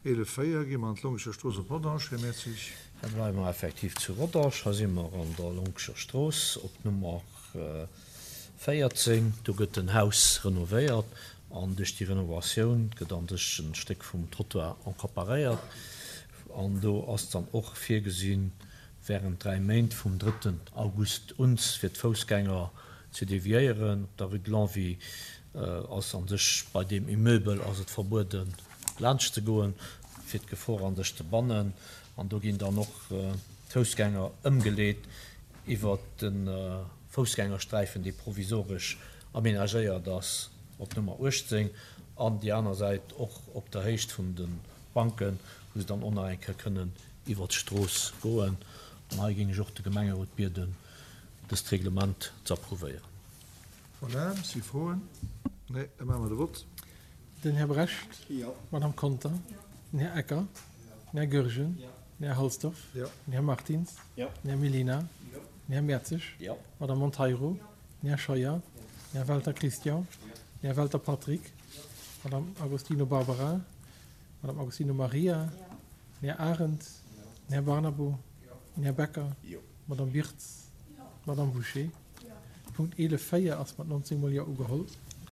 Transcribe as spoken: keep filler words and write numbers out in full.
Eelef véier, gi mer an d'Longescher Strooss op Rodange, Här Mertzig. Hei bleiwe mer effektiv zu Rodange. Hei si mer an der Lonkescher Strooss op Nummer véierzéng. Do gëtt en Haus renovéiert an duerch déi Renovatioun gëtt an sech en Stéck vum Trottoir encapparéiert. An do ass dann och virgesinn, während dräi Méint vum drëtten August un fir d'Foussgänger ze deviéieren. Op der Rue de Longwy ass an sech bei deem Immeuble ass et verbueden, laanscht ze goen, fir d'Gefor an sech ze bannen. An do ginn dann och d'Foussgänger ëmgeleet iwwer de Foussgängersträifen, dee provisoresch amenagéiert ass op Nummer uechtzéng, an déi aner Säit och op der Héicht vun de Banken, wou se dann och nach eng Kéier kënnen iwwer d'Strooss goen. An hei géing ech och de Gemengerot bieden, dëst Reglement ze approuvéieren. Voilà, si Froen? Nee, da maache mer de Vott. Den Här Brecht. Jo. D'Madame Conter. Den Här Ecker. Den Här Goergen. Den Här Halsdorf. Jo. Den Här Martins. Jo. Den Här Mellina. Den Här Mertzig. Jo. D'Madame Monteiro. Den Här Scheuer. Den Här Welter Christian. Den Här Welter Patrick. D'Madame Agostino Barbara. D'Madame Agostino Maria. Den Här Arendt. Den Här Barnabo. Den Här Becker. Jo. D'Madame Wirtz. D'Madame Bouché. Punkt eelef véier ass mat nonzéng mol Jo ugeholl.